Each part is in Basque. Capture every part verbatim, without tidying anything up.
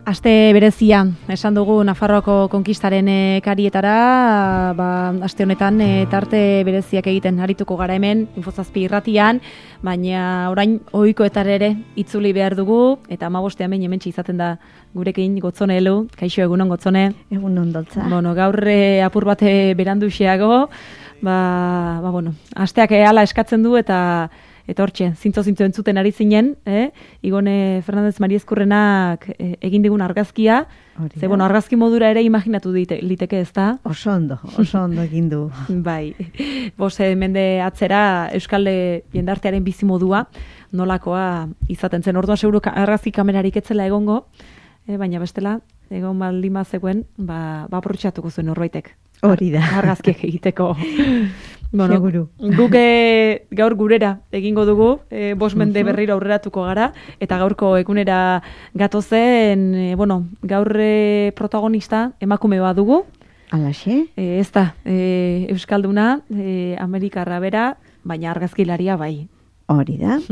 Aste berezia, esan dugu Nafarroako konkistaren e, karietara, ba, aste honetan e, tarte bereziak egiten arituko gara hemen, Infozazpi irratian, baina orain ohikoetar ere itzuli behar dugu, eta hamabostean behin hementsi izaten da gurekin Gotzone Elu. Kaixo, egunon Gotzone. Egunon doltza. Bueno, gaur e, apur bate beranduxeago, ba, ba, bueno, asteak hala eskatzen du eta Eta hortxe, zintzo-zintzo entzuten ari zinen, eh? Igone Fernandez Mariezkurrenak eh, egin digun argazkia. Ze, bueno, argazki modura ere imaginatu dite, liteke ez da? Oso ondo, oso ondo egin du. Bai, bose mende atzera Euskalde jendartearen bizimodua nolakoa izaten zen. Orduan seguru argazki kamerarik etzela egongo, eh, baina bestela, egon baldin bazegoen, ba, ba aprobetxatuko zuen norbaitek. Hori da. Argazkiek egiteko. Bueno, seguru. Guk e, gaur gurera egingo dugu, e, bost mende berriro aurreratuko gara, eta gaurko egunera gatozen, e, bueno, gaur e, protagonista emakume bat dugu. Alaxe? E, ez da, e, Euskalduna, e, Amerikarra bera, baina argazkilaria bai. Hori da.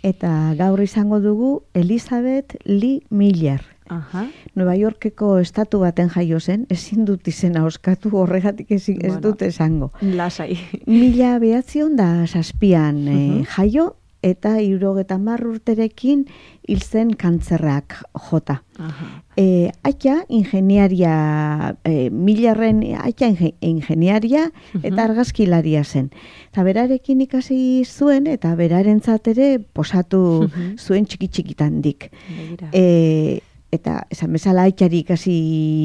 Eta gaur izango dugu Elizabeth Lee Miller. Aha. Nueva Yorkeko estatu baten jaio zen, ezin dut izena oskatu horregatik ez, ez bueno, dut esango. Lasai. Mila behatzion da zazpian uh -huh. eh, jaio, eta hirurogeta hamar urterekin hil zen kantzerrak jota. Aha. Eh, aita ingeniaria, eh, Millerren aita inge, ingeniaria eta argazkilaria zen. Eta berarekin ikasi zuen eta berarentzat ere posatu zuen txiki-txikitandik. Eh, eta esan bezala aitari ikasi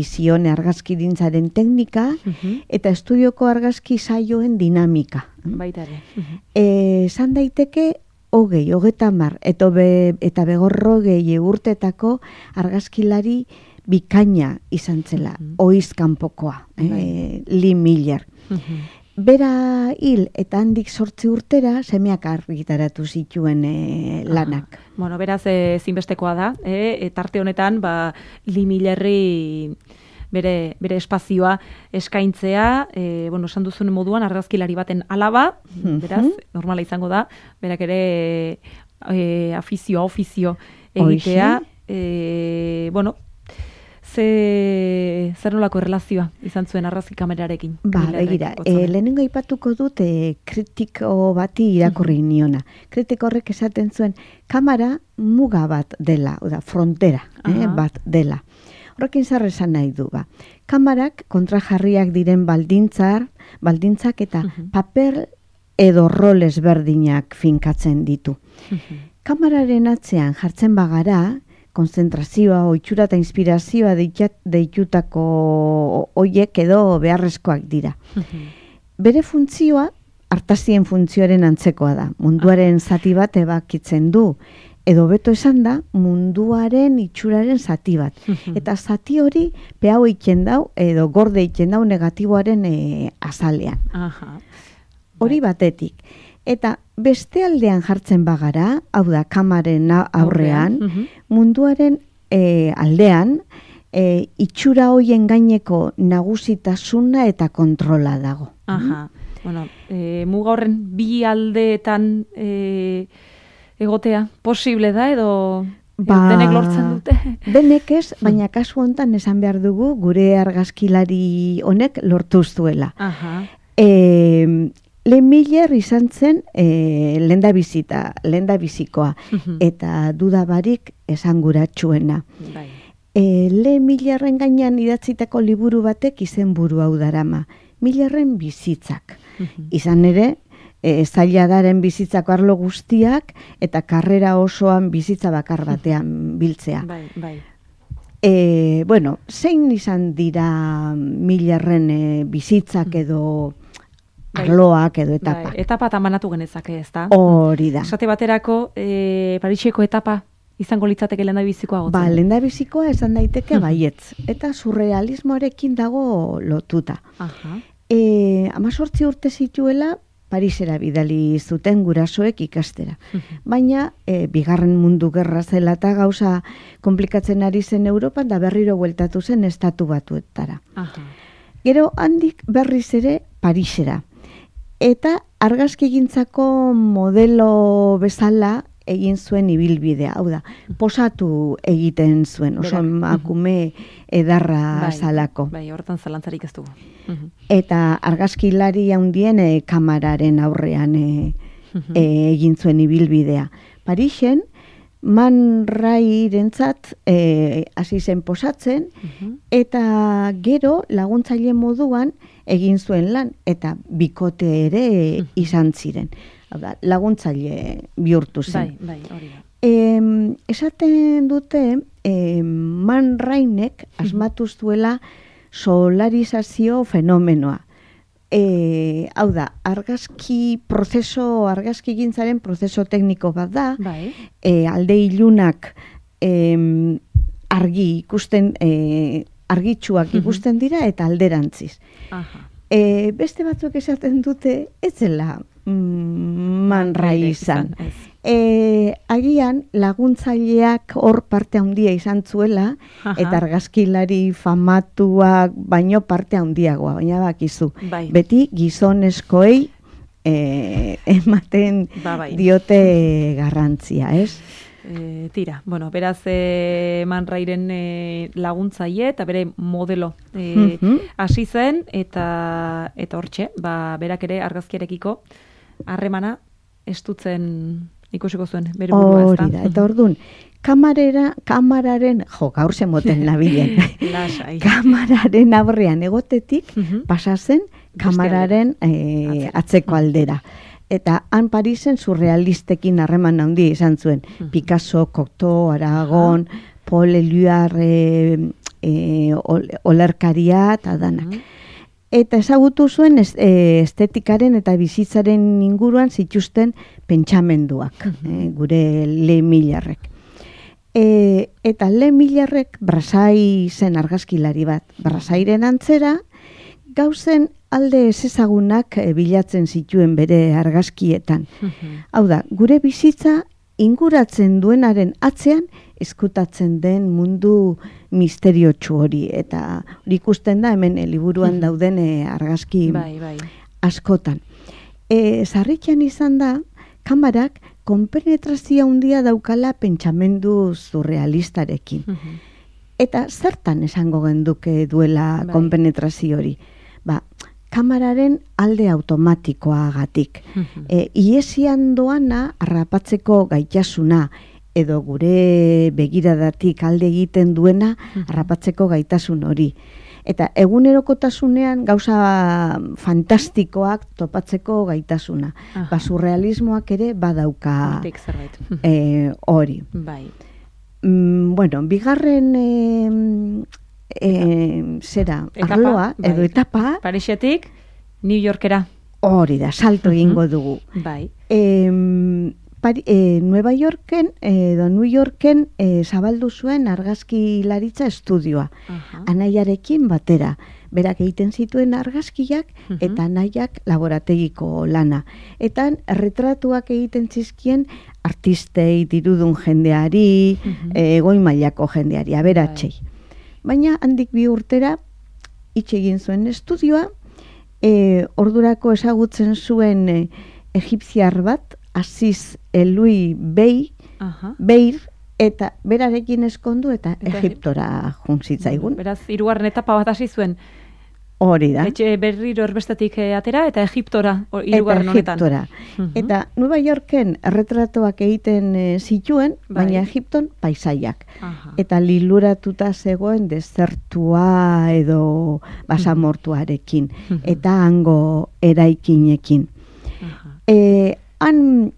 zion argazkigintzaren teknika uh-huh. eta estudioko argazki saioen dinamika. Baita ere. Uh-huh. Eh, esan daiteke hogei, hogeita hamar, eta, be, eta begorrogei urtetako argazkilari bikaina izan zela, uh-huh. oizkanpokoa, eh, Lee Miller. Uh-huh. Bera hil eta handik sortzi urtera semeak argitaratu zituen e, lanak. Aha. Bueno, beraz e, zinbestekoa da, e, tarte honetan ba, Lee Millerri bere, bere espazioa eskaintzea, e, bueno, esan duzun moduan argazkilari baten alaba, beraz, normala izango da, berak ere e, afizioa, ofizio egitea, e, bueno, Ze, zer nolako erlazioa izan zuen argazki kamerarekin? Ba, begira, e, lehenengo aipatuko dut e, kritiko bati irakurri niona. Kritiko horrek esaten zuen, kamera muga bat dela, oda, frontera eh, bat dela. Horrekin zer esan nahi du, ba. Kamarak kontrajarriak diren baldintzar, baldintzak eta uh-huh. paper edo rol ezberdinak finkatzen ditu. Uh-huh. Kamararen atzean jartzen bagara, konzentrazioa, ohitura eta inspirazioa deitutako hoiek edo beharrezkoak dira. Uh-huh. Bere funtzioa, artazien funtzioaren antzekoa da. Munduaren zati bat ebakitzen du. Edo beto esan da, munduaren itxuraren zati bat. Uh-huh. Eta zati hori pehau eitzen dau, edo gorde eitzen dau negatiboaren e, azalean. Uh-huh. Hori batetik. Eta beste aldean jartzen bagara, hau da, kamaren aurrean, uh-huh. munduaren e, aldean, e, itxura hoien gaineko nagusitasuna eta kontrola dago. Aha, mm? Bueno, e, muga horren bi aldeetan e, egotea posible da edo ba, denek lortzen dute? Denek ez, baina kasu honetan esan behar dugu gure argazkilari honek lortu zuela. Aha. E, Lee Miller izan zen e, lenda bizita, lenda bizikoa, uh-huh. eta dudabarik esanguratsuena. Bai. E, Lee Millerren gainean idatzitako liburu batek izenburu hau darama, Millerren bizitzak. Uh-huh. Izan ere, e, zailadaren bizitzako arlo guztiak eta karrera osoan bizitza bakar batean biltzea. Bai, bai. E, bueno, zein izan dira Millerren e, bizitzak edo arloak edo etapa. Bai, etapa eta manatu genezake, ez da? Hori da. Esate baterako, e, Pariseko etapa izango litzateke lenda bizikoa gotzen? Ba, lenda bizikoa esan daiteke baietz. Eta surrealismoarekin dago lotuta. Aha. E, amazortzi urte zituela, Parisera bidali zuten gurasoek ikastera. Baina, e, bigarren mundu gerra zela eta gauza komplikatzen ari zen Europan, da berriro bueltatu zen estatu batuetara. Aha. Gero handik berriz ere Parisera. Eta argazkigintzako modelo bezala egin zuen ibilbidea, hau da, posatu egiten zuen, oso emakume edarra bai, zalako. Bai, hortan zalantzarik ez dugu. Eta argazkilari handien e, kamararen aurrean e, e, egin zuen ibilbidea. Parisen, Man Rairentzat e, hasi zen posatzen, eta gero laguntzaile moduan egin zuen lan, eta bikote ere izan ziren. Hau da, laguntzaile bihurtu zen. Bai, bai, hori da. E, esaten dute, e, Man Rainek asmatu zuela solarizazio fenomenoa. E, hau da, argazki prozeso, argazki gintzaren prozeso tekniko bat da, bai. e, alde ilunak e, argi ikusten, e, argitsuak ikusten dira eta alderantziz. Aha. E, beste batzuk esaten dute, ez zela mm, Man Rai izan. E, agian laguntzaileak hor parte handia izan zuela, aha, eta argazkilari famatuak baino parte handiagoa, baina bakizu. Bai. Beti gizonezkoei e, ematen ba, bai, diote garrantzia, ez? E, tira, bueno, beraz e, Man Rairen e, laguntzaile eta bere modelo e, hasi zen, eta eta hortxe, ba, berak ere argazkiarekiko harremana estutzen ikusiko zuen, bere burua, ezta? Hori da, eta orduan, kamarera, kamararen, jo, gaur zemoten nabilen, kamararen aurrean egotetik, pasazen kamararen e, atzeko aldera. Eta han Parisen surrealistekin harreman handia izan zuen. Picasso, Cocteau, Aragon, Paul Eluard, e, e, olerkaria eta danak. Eta ezagutu zuen estetikaren eta bizitzaren inguruan zituzten pentsamenduak, e, gure Le Millarrek. E, eta Le Millarrek Brassai zen argazkilari bat. Brassairen antzera, gauzen alde ezezagunak e, bilatzen zituen bere argazkietan. Hau da, gure bizitza inguratzen duenaren atzean eskutatzen den mundu misteriotsu hori, eta hori ikusten da hemen liburuan dauden e, argazki bai, bai. askotan. E, Sarritxan izan da, kamarak konpenetrazio handia daukala pentsamendu surrealistarekin. Eta zertan esango genduke duela bai. konpenetrazio hori? Ba, kamararen alde automatikoagatik. E, iesian doana harrapatzeko gaitasuna, edo gure begiradatik alde egiten duena harrapatzeko gaitasun hori. Eta egunerokotasunean gauza fantastikoak topatzeko gaitasuna. Ba, surrealismoak ere badauka e, hori. Bai. Mm, bueno, bigarren e, e, zera, etapa, arloa, bai. edo etapa. Parisetik, New Yorkera. Hori da, salto egingo dugu. Bai. E, Pari, e, Nueva Yorken, edo New Yorken e, zabaldu zuen argazkilaritza estudioa. Uh-huh. Anaiarekin batera. Berak egiten zituen argazkiak uh-huh. eta anaiak laborategiko lana. Eta erretratuak egiten zizkien artistei, dirudun jendeari, uh-huh. e, goi mailako jendeari, aberatsei. Baina handik bi urtera hitz egin zuen estudioa, e, ordurako ezagutzen zuen e, egipziar bat, Aziz Elui Bey, uh-huh. Beir, eta berarekin eskondu eta, eta Egiptora juntzitzaigun. Beraz, hirugarren etapa bat hasi zuen. Hori da. Etxe berriro erbestetik atera eta Egiptora, hirugarren honetan. Eta Egiptora. Uh-huh. Eta Nueva Yorken erretratoak egiten e, zituen, bai. baina Egipton paisaiak. Uh-huh. Eta liluratuta zegoen desertua edo basamortuarekin. Uh-huh. Eta hango eraikinekin. Uh-huh. E, Han,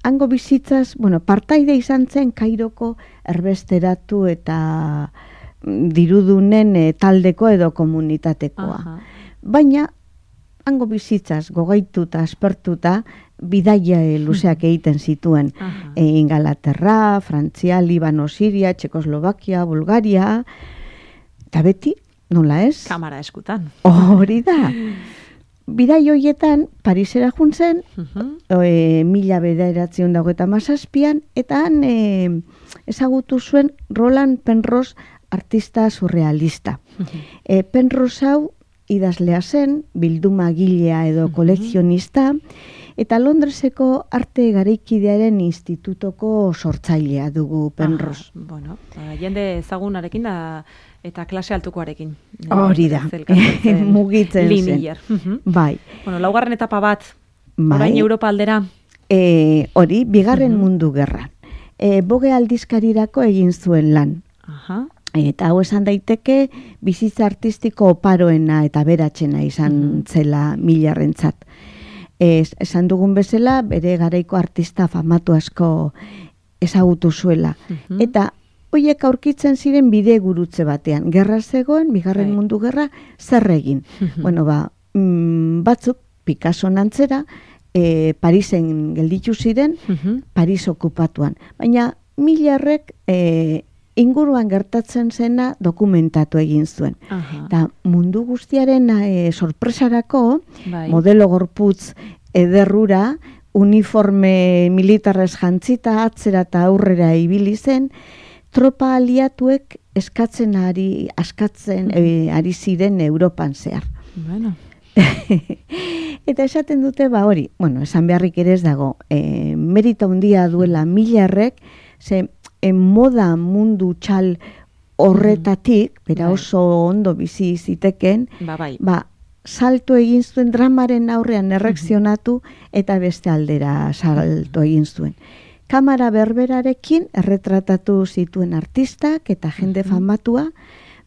hango bizitzaz, bueno, partaide izan zen Kairoko erbesteratu eta dirudunen e, taldeko edo komunitatekoa. Aha. Baina, hango bizitzaz gogaituta, aspertuta, bidaia e, luzeak egiten zituen. E, Ingalaterra, Frantzia, Libano, Siria, Txekoslovakia, Bulgaria, eta beti, nola ez? Kamara eskutan. Hori da. Bidai hoietan, Parisera juntzen, uh-huh. e, mila bederatzion dago eta mazazpian, eta han e, ezagutu zuen Roland Penrose artista surrealista. Uh-huh. E, Penrose hau idazlea zen, bilduma gilea edo kolekzionista, Eta Londreseko arte garaikidearen institutoko sortzailea dugu Penrose. Aha, bueno, jende ezagunarekin da eta klase altukoarekin. Hori da, mugitzen zen. Bai. Bueno, laugarren etapa bat, bai. Orain Europa aldera. E, hori, bigarren uh-huh. mundu gerran. E, Boge aldizkarirako egin zuen lan. Aha. Eta hau esan daiteke bizitza artistiko oparoena eta beratxena izan uh-huh. zela Millarrentzat. Es, esan dugun bezala, bere garaiko artista famatu asko ezagutu zuela. Uh-huh. Eta hoiek aurkitzen ziren bide gurutze batean. Gerra zegoen, bigarren right. mundu gerra, zer egin. Uh-huh. Bueno, ba, mm, batzuk, Picasso nantzera, e, Parisen gelditu ziren, uh-huh. Paris okupatuan. Baina Millarrek e, inguruan gertatzen zena dokumentatu egin zuen. Uh-huh. Eta mundu guztiaren e, sorpresarako, bai. modelo gorputz ederrura, uniforme militarrez jantzita, atzera eta aurrera ibili zen, tropa aliatuek eskatzen ari, askatzen e, ari ziren Europan zehar. Bueno. Eta esaten dute, ba hori, bueno, esan beharrik ere ez dago, e, merita handia duela Millarrek, ze e, moda mundu txal horretatik, bera oso ondo bizi ziteken, ba, bai. ba, salto egin zuen dramaren aurrean erreakzionatu eta beste aldera salto egin zuen. Kamara berberarekin erretratatu zituen artistak eta jende famatua,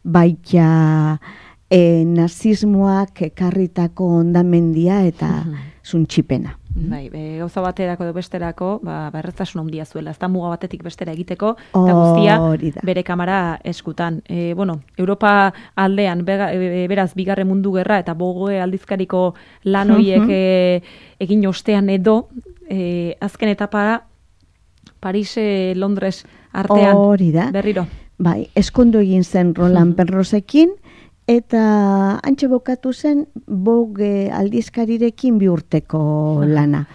baita e, nazismoak ekarritako ondamendia eta zuntxipena. Bai, e, gauza baterako edo besterako, ba, berreztasun handia zuela, ez da muga batetik bestera egiteko, eta guztia bere kamara eskutan. E, bueno, Europa aldean, bega, e, beraz, bigarren mundu gerra, eta Boge aldizkariko lan horiek e, egin ostean edo, e, azken etapara, Paris, e, Londres artean, hori da. Berriro. Bai, eskondo egin zen Roland Penrosekin, eta antxe bokatu zen Boge aldizkarirekin bi urteko lana.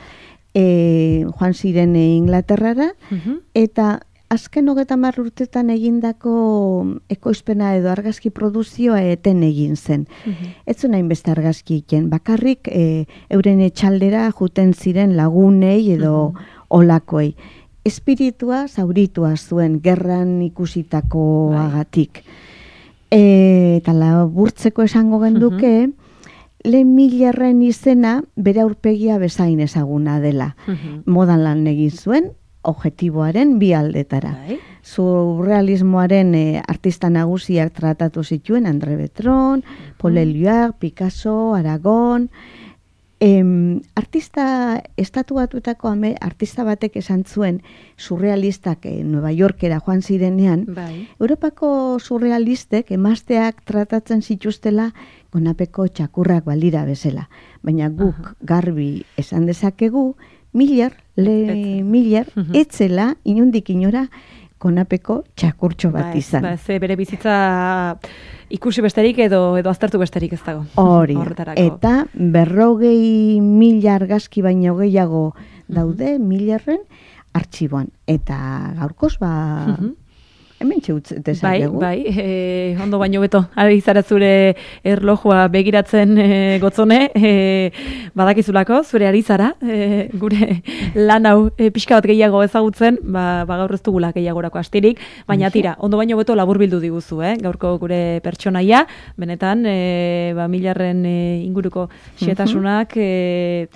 E, joan ziren Inglaterrara, uh-huh. eta azken hogeita hamar urtetan egindako ekoizpena edo argazki produzioa eten egin zen. Uh-huh. Ez zuen hainbeste argazki egin, bakarrik e, euren etxaldera juten ziren lagunei edo uh-huh. olakoei. Espiritua zauritua zuen gerran ikusitakoagatik. E, eta laburtzeko esango genduke, uh-huh. lehen Millarren izena bere aurpegia bezain ezaguna dela. Uh-huh. Modan lan egin zuen, objektiboaren bi aldetara. Bai. Surrealismoaren e, artista nagusiak tratatu zituen, André Breton, uh-huh. Paul Éluard, Picasso, Aragon. Em, artista estatuatuetako ame, artista batek esan zuen surrealistak e, Nueva Yorkera joan zirenean, bai. Europako surrealistek emazteak tratatzen zituztela gonapeko txakurrak balira bezala. Baina guk uh-huh. garbi esan dezakegu, Millar, le Millar, uh-huh. etzela inondik inora konapeko txakurtxo bat ba, izan. Ba, ze bere bizitza ikusi besterik edo edo aztertu besterik ez dago. Hori, eta berrogei mila argazki baino gehiago daude uh-huh. Millarren artxiboan. Eta gaurkoz, ba, uh-huh. hemen txeutz dezakegu. Bai, bai, e, ondo baino beto, ari zara zure erlojua begiratzen e, gotzone, e, badakizulako, zure ari zara, e, gure lan hau e, pixka bat gehiago ezagutzen, ba, ba gaur ez dugula gehiagorako astirik, baina tira, ondo baino beto laburbildu diguzu, eh? Gaurko gure pertsonaia, benetan, e, ba, Millarren e, inguruko xetasunak, e,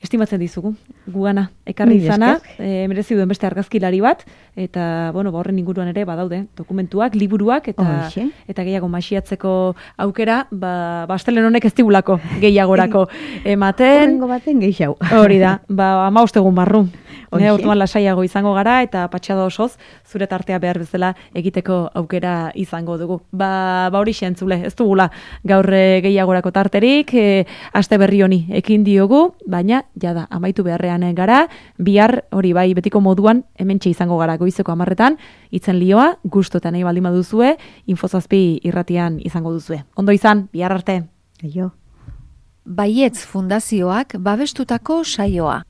estimatzen dizugu, gugana, ekarri izana, e, merezi duen beste argazkilari bat, eta, bueno, horren inguruan ere badaude, dokumentuak, liburuak, eta Oixe. eta gehiago masiatzeko aukera, ba, bastelen honek ez digulako gehiagorako ematen. Horrengo baten gehiago. Hori da, ba, ama ustegun barru. Ne, orduan lasaiago izango gara, eta patxado osoz, zure tartea behar bezala egiteko aukera izango dugu. Ba, ba hori xentzule, ez dugula gaur gehiagorako tarterik, e, aste berri honi ekin diogu, baina, jada, amaitu beharrean gara, bihar hori bai betiko moduan, hementxe izango gara goizeko hamarretan, itzen lioa, gustu eta nahi baldin baduzue, Infozazpi irratian izango duzue. Ondo izan, bihar arte. Eio. Baietz Fundazioak babestutako saioa.